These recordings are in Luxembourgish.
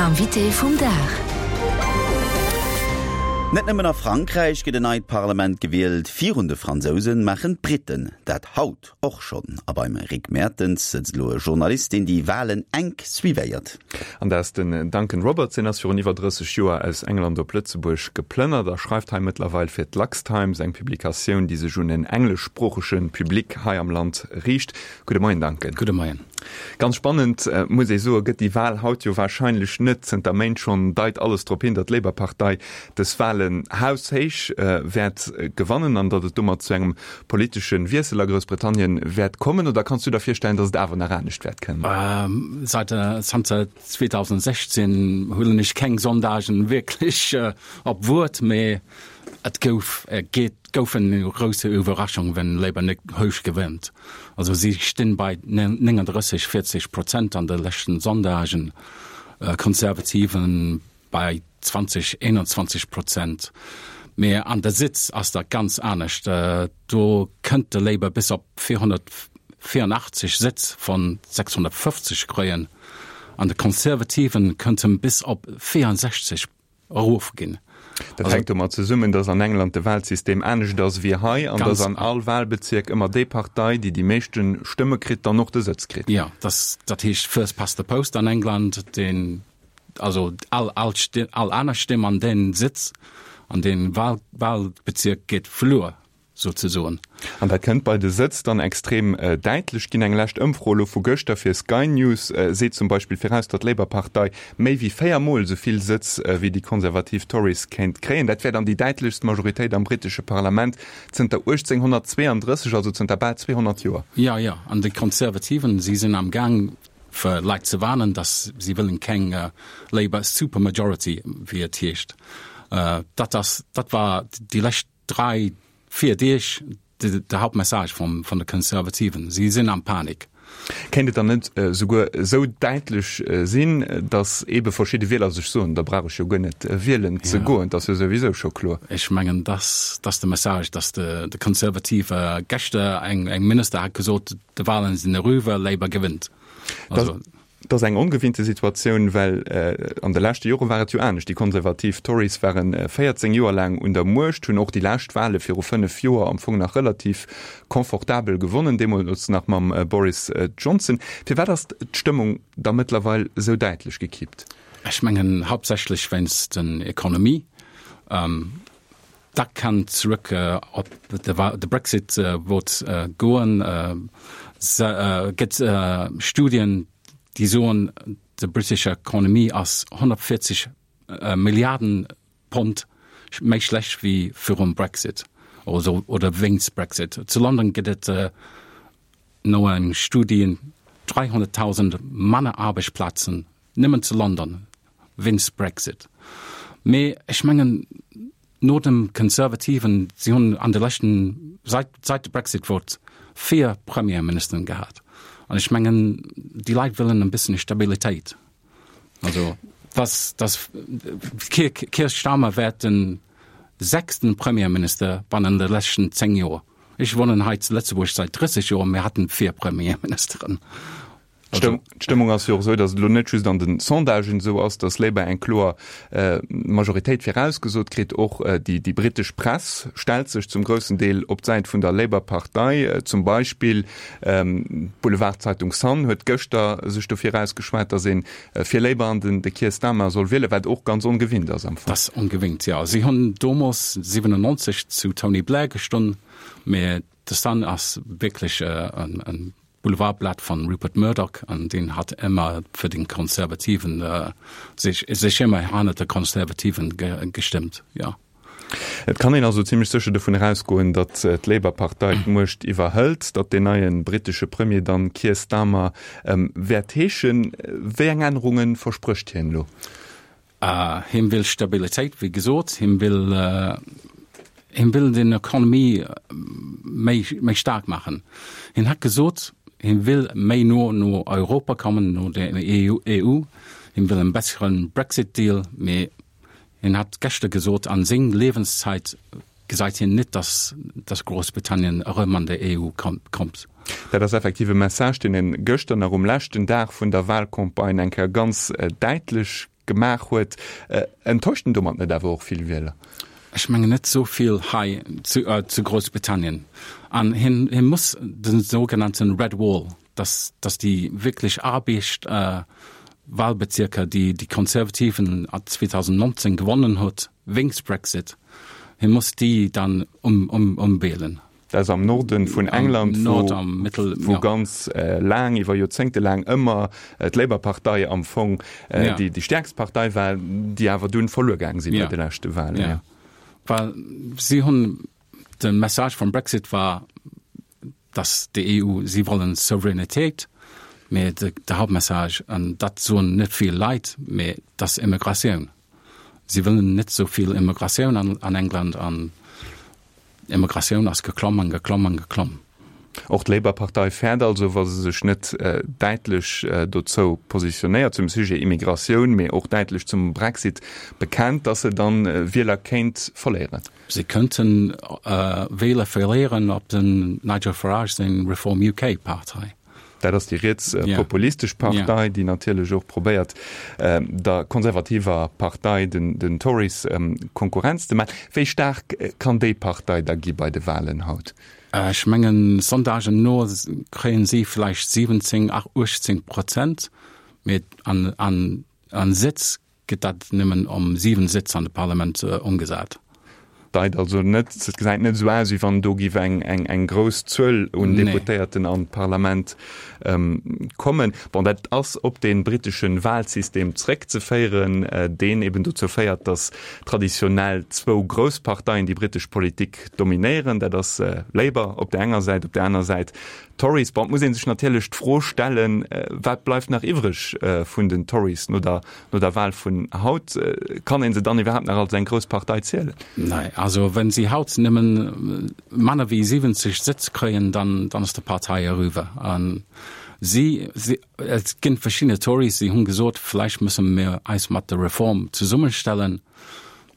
L'invité vum Dag. Net nëmmen a Frankräich gëtt en neit Parlament gewielt, virun de Fransousen maachen d'Britten dat haut och schonn. A beim Rick Mertens sëtzt elo e Journalist, deen déi Walen enk suivéiert. An dat ass den Duncan Roberts. Hien ass virun iwwer 30 Joer aus England op Lëtzebuerg geplënnert a schreift hei mëttlerweil fir d'LuxTimes, eng Publikatioun, déi sech un en engleschsproochege Public hei am Land riicht. Gudde Moien, Duncan. Gudde Moien. Ganz spannend, muss ee soen, gëtt déi Wal haut jo warscheinlech net. Zënter Méint schonn deit alles drop hin, datt d'Labour-Partei dës Walen haushéich wäert gewannen an datt et domat zu engem politesche Wiessel a Groussbritannien wäert kommen. Oder kanns du der virstellen, datt et awer nach anescht wäert kënnen? Seit zanter 2016 huelen ech keng Sondagen wierklech op Wuert, mee et gouf, et gouf eng grousse Iwwerraschung, wenn Labour net héich gewënnt. Also si stinn bei 39, 40 Prozent an de leschten Sondagen, Konservativen bei 20, 21 Prozent. Mee an de Sitz ass dat ganz anescht. Do kënnt de Labour bis op 484 Sëtz von 650 kréien, an de Konservativen kënnt en bis op 64 erof ginn. Dat hänkt domat zesummen, datt an England de Wahlsystem anescht ass wéi hei an datt an all Wahlbezierk ëmmer déi Partei, déi déi meeschte Stëmme kritt, dann och de Sëtz kritt. Jo, dat heescht First past the post an England, deen, also all, all, all aner Stëmm an deen Sëtz, an dee Wahlbezierk geet verluer. Souzesoen. An dat kënnt bei de Sëtz dann extrem däitlech ginn. Eng lescht Ëmfro elo vu gëschter fir Sky News seet zum Beispill viraus, datt d'Labour-Partei méi wéi 4 Mol esou vill Sëtz wéi déi konservativ Tories kéint kréien. Dat wär dann déi däitlechst Majoritéit am brittesche Parlament zënter 1832, also zënter bal 200 Joer. Jo, jo, an déi Konservativen, si sinn am Gaang fir Leit ze warnen, datt si wëllen keng Labour Supermajority, wéi et heescht. Dat ass, dat war déi lescht 3, 4 Deeg de Hauptmessage vum vun de Konservativen. Si sinn am Panik. Kéint et dann net souguer esou däitlech sinn, datt eebe verschidde Wieler sech soen, da brauch ech jo guer net wielen ze goen, et ass jo souwisou scho kloer? Ech mengen, dass ass de Message, datt de Konservative geschter eng Minister hat gesot, de Wahlen sinn eriwwer, Labour gewinnt. Also. Et ass eng ongewinnte Situatioun, well an de leschte Jore war et jo anescht. Déi konservativ Tories ware 14 Joer laang un der Muecht, hunn och déi lescht Wale viru 5 Joer am Fong nach relativ confortabel gewonnen, deemools nach mam Boris Johnson. Firwat ass d'Stëmmung da mëttlerweil esou däitlech gekippt? Ech mengen hauptsächlech wéinst den Economie. Dat kann zrëck op de Brexit Vote goen. Se gëtt Studien, déi soen, de british Economie ass 140 Milliarden Pond méi schlecht wéi virum Brexit oder wéinst Brexit. Zu London gëtt et no engem Studie 300.000 manner Aarbechtsplazen nëmmen zu London wéinst Brexit. Mee ech mengen, no dem Konservativen, si hunn an de leschten, seit, seit de Brexit Vote, 4 Premierministeren gehat. An ech mengen, déi Leit wëllen e bëssen Stabilitéit. Also, dass, dass Keir, Keir Starmer wäert den sechsten Premierminister bannen de leschten 10 Joer. Ech wunnen hei zu Lëtzebuerg seit 30 Joer, mir haten 4 Premierministeren. D'Stëmmung ass jo och esou, datt et elo net just an de Sondagen esou ass, datt Labour eng kloer Majoritéit virausgesot kritt. Och déi brittesch Press stellt sech zum groussen Deel op d'Säit vun der Labour-Partei. Zum Beispill d'Boulevardzeitung Sun huet gëschter sech dofir ausgeschwat, datt ee fir Labour an den de Keir Starmer soll wielen, wat och ganz ongewinnt ass am Fong. Dat ass ongewinnt, jo. Si hunn domols 97 zu Tony Blair gestonn, mä de Sun ass wierklech en Boulevardblatt von Rupert Murdoch an deen hat ëmmer fir den Konservativen sech sech ëmmer hannert de Konservativen gestëmmt, jo. Et kann een also zimlech sécher dovun erausgoen, datt d'Labour-Partei d'Muecht iwwerhëlt, datt deen neie brittesche Premier dann Keir Starmer wäert heeschen. Wéi eng Ännerunge versprécht hien elo? Hien will Stabilitéit, wéi gesot. Hien will, hien will den Economie méi, méi staark maachen. Hien hat gesot, hien will méi no no Europa kommen, no der EU. Hien will en besseren Brexit-Deal, mee hien hat geschter gesot, an seng Liewenszeit gesäit hien net, dass, dass Groussbritannien erëm an der EU kommt. Dat ass effektiv e Message, deen en gëschter nach um leschten Dag vun der Wahlcampagne eng Kéier ganz däitlech. Gemaach huet. Enttäuscht en domat net awer och vill Wieler? Ech mengen net esou vill hei zu Groussbritannien. An hien hie muss de sougenannten Red Wall, dass dass déi wierklech Aarbecht Wahlbezierker, déi déi Konservativen 2019 gewonnen huet wéinst Brexit, hie muss déi dann um um umwählen. Dat ass am Norden vun England, wou ganz laang, iwwer Joerzéngte laang ëmmer d'Labour-Partei am Fong déi stäerkst Partei war, déi awer dunn verluer gaang sinn bei de leschte Walen. Jo, well si hunn, de Message vum Brexit war, datt déi EU, si wollen Souveränitéit, mee de Hauptmessage, an dat soen net vill Leit, mee dat ass Immigratioun. Si wëllen net esou vill Immigratioun an England an Immigratioun ass geklomm an geklomm an geklomm. Och d'Labour-Partei fäert also, wa se sech net däitlech dozou positionéiert zum Sujet Immigratioun, mee och däitlech zum Brexit bekennt, datt se dann Wieler kéint verléieren. Se könnten Wieler verléieren op den Nigel Farage seng Reform UK Partei. Dat ass déi rietspopulistesch Partei, déi natierlech och probéiert, der konservativer Partei, den Tories, Konkurrenz ze maachen. Wéi staark kann déi Partei da gi bei de Walen haut? Ech mengen, Sondagen no kréien si vläicht 17, 18 Prozent, mee an Sëtz gëtt dat nëmmen om 7 Sëtz an de Parlament ëmgesat. Deit also net, et gesäit net esou aus, wéi wann do giff eng eng grouss Zuel un Deputéierten an d'Parlament kommen. Bon, dat ass op dee brittesche Wahlsystem zréckzeféieren, deen eben dozou féiert, datt traditionell zwou grouss Parteien déi brittesch Politik dominéieren. Dat ass Labour op där enger Säit, op där aner Säit Tories. Bon, et muss ee sech natierlech d'Fro stellen, wat bleift nach iwwreg vun den Tories no der, no der Wahl vun haut? Kann ee se dann iwwerhaapt nach als eng grouss Partei zielen? Nee, also wenn si haut nëmmen manner wéi 70 Sëtz kréien, dann, dann ass d'Partei eriwwer. A si, si, et ginn verschidde Tories, déi hunn gesot, vläicht musse mir eis mat der Reform zesummestellen.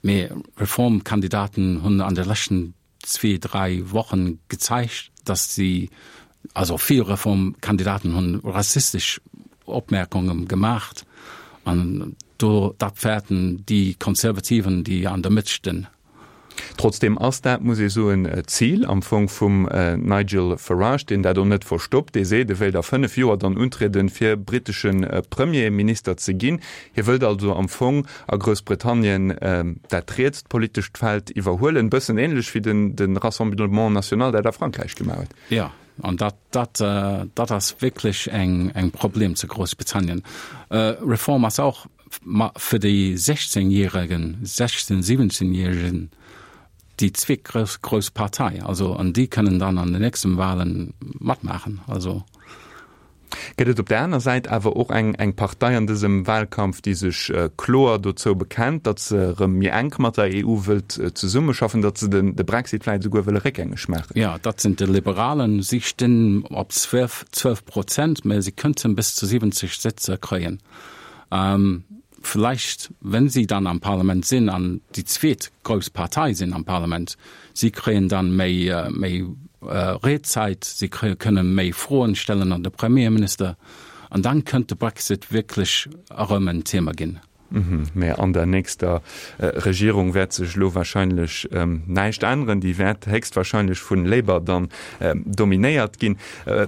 Mee Reformkandidaten hunn an de leschten zwee, dräi Wochen gezeigt, dass si, also vill Reformkandidaten hunn rassistesch Opmerkungen gemacht an do, dat fäerten déi Konservativen, déi an der Mëtt stinn. Trotzdem ass dat, muss ee soen, d'Zil am Fong vum Nigel Farage, deen dat och net verstoppt. Dee seet, e wéilt a 5 Joer dann untrieden, fir brittesche Premierminister ze ginn. Hie wëllt also am Fong a Groussbritannien dat rietst politescht Feld iwwerhuelen, bëssen ähnlech wéi de Rassemblement National dat a Frankräich gemaach huet. Jo, an dat, dat, dat ass wierklech eng, eng Problem zu Groussbritannien. Reform ass och fir déi 16 Järegen, 16, 17 Järegen déi zweet grouss, grouss Partei. Also, an déi kënnen dann an den nächsten Wahlen matmaachen. Also. Gëtt et op der aner Säit awer och eng eng Partei an dësem Wahlkampf, déi sech kloer dozou bekennt, datt se erëm méi enk mat der EU wëllt zesummeschaffen, datt se de Brexit vläicht esouguer wëlle réckgängeg maachen? Jo, dat sinn d'Liberalen. Si stinn op 12, 12 Prozent, mä si kënnten bis zu 70 Sëtzer kréien. Vläicht, wenn si dann am Parlament sinn an déi zweet grouss Partei sinn am Parlament, si kréien dann méi, méi Riedzäit, si kréie, kënne méi Froen stellen an de Premierminister an dann kënnt de Brexit wierklech erëm en Thema ginn. Mä an der nächster Regierung wäert sech elo wahrscheinlech näischt änneren. Déi wäert héchstwahrscheinlech vun Labour dann dominéiert ginn.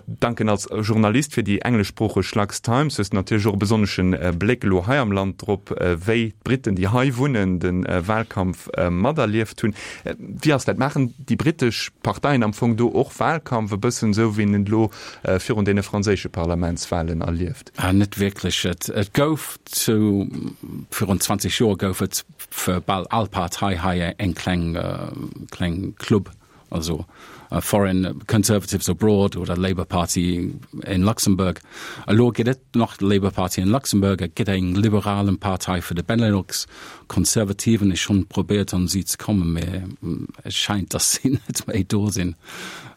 Duncan, als Journalist fir déi engleschsproocheg Lux Times hues de natierlech och e besonnesche Bléck elo hei am Land drop, wéi d'Britten, déi hei wunnen, de Wahlkampf materlieft hunn. Wéi ass dat? Maachen déi brittesch Parteien am Fong do och Wahlkampf, e bëssen esou wéi een et elo virun deene franséische Parlamentswahlen erlieft? Net wierklech. Et gouf zu virun 20 Joer gouf et fir bal all Partei hei eng kleng kleng Club. Also Foreign Conservatives Abroad oder Labour Party in Luxembourg. Elo gëtt et nach d'Labour Party in Luxembourg, et gëtt eng liberalen Partei fir de Benelux, Konservativen. Ech hunn probéiert an si ze kommen, mee et scheint, datt si net méi do sinn.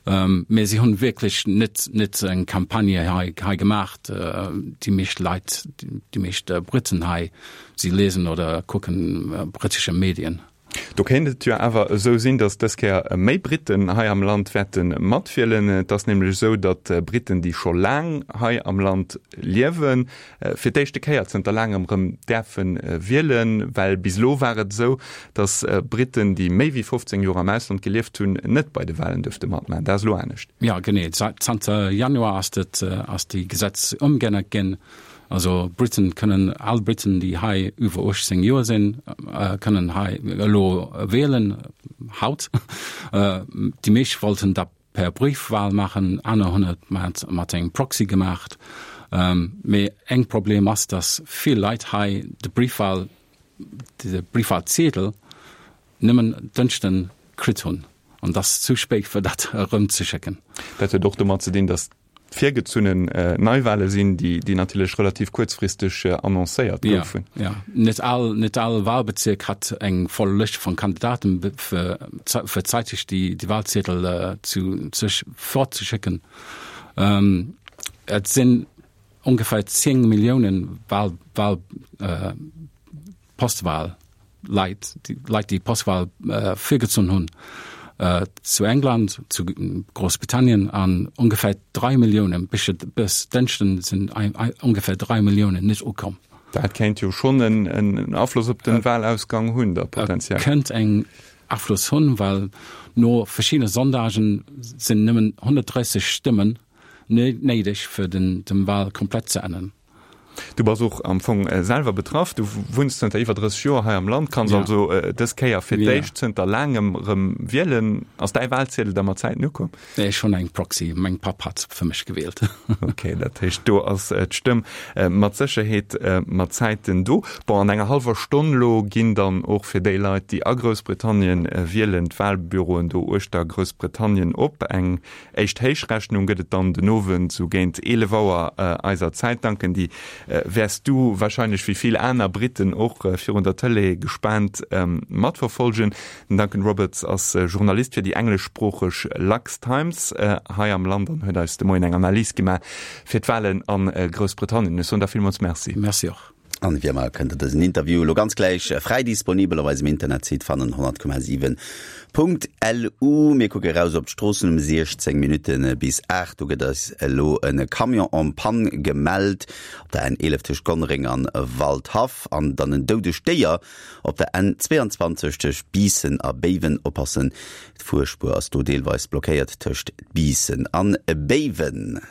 Mee si hunn wierklech net net eng Campagne hei hei gemaacht. Déi meescht Leit, déi meescht Briten hei, si lesen oder kucken britesche Medien. Do kéint et jo awer esou sinn, datt dës Kéier méi Britten hei am Land wäerte matwielen. Et ass nämlech esou, datt Britten, déi scho laang hei am Land liewen, fir d'éischte Kéier zënter laangem erëm däerfe wielen. Well bis elo war et esou, datt Britten, déi méi wéi 15 Joer am Ausland gelieft hunn, net bei de Walen duerfte matmaachen. Dat ass elo anescht. Jo, genee. Zanter Januar ass dat, ass déi Gesetz ëmgeännert ginn. Also Briten kënnen, all Briten, déi hei iwwer 18 Joer sinn, kënnen hei elo wielen, haut. Déi meescht wollten dat per Briefwahl maachen, aner hunn et mat, mat engem Proxy gemaacht. Mee eng Problem ass, datt vill Leit hei de Briefwahl, de Briefwahlziedel nëmmen Dënschden kritt hunn. An dat ass zu spéit fir dat erëmzeschécken. Dat huet och domat ze dinn, datt virgezunnen Neiwale sinn, déi natierlech relativ kuerzfristeg annoncéiert goufen. Jo, net all, net all Wahlbezierk hat eng voll Lëscht vun Kandidaten, fir fir zeiteg déi déi Wahlziedel zu sech fortzeschécken. Et sinn ongeféier 10 Milliounen Wahl, Wahl, Postwahl Leit, déi Leit déi Postwahl virgezunn hunn zu England, zu Groussbritannien an ongeféier 3 Milliounen, bis Dënschden sinn ongeféier 3 Milliounen net ukomm. Dat kéint jo schonn en Afloss op de Wahlausgang hunn da potenziell. Dat kéint eng Afloss hunn, well no verschiddene Sondagen sinn nëmmen 130 Stëmmen néideg fir den Wahl komplett ze änneren. Du bass och am Fong selwer betraff. Du wunns zënter iwwer 30 Joer hei am Land, kanns also dës Kéier fir d'éischt zënter laangem erëm wielen. Ass däi Wahlziedel da mat Zäiten ukomm? Nee, ech hunn eng Proxy. Meng Papp hat fir mech gewielt. Ok, dat heescht do ass d'Stëmm mat Sécherheet mat Zäiten do. Bon, an enger hallwer Stonn lo ginn dann och fir déi Leit, déi a Groussbritannien wielen, d'Wahlbüroen do uechter Groussbritannien op. Eng Éischt Héichrechnung gëtt et dann den Owend sou géint 11 Auer eiser Zäit. Duncan, déi wäers du warscheinlech wéi vill aner Britten och virun der Tëlee gespaant matverfolgen. Den Duncan Roberts ass Journalist fir déi engleschsproocheg Lux Times hei am Land an huet eis de Moien eng Analys gemaach fir d'Walen a Groussbritannien. Ech soen der villmools Merci. Merci och. An wéi ëmmer kënnt der dësen Interview elo ganz gläich fräi disponibel op eisem Internetsite fannen, 100,7.lu. Mir kucke raus op d'Stroossen um 16 Minutte bis 8. Do gëtt eis elo e Camion en panne gemellt op der N11 tëscht Gonnereng an Waldhaff an dann en doudegt Déier op der N22 tëscht Biissen a Béiwen. Oppassen, d'Fuerspuer ass do deelweis blockéiert tëscht Biissen an Béiwen.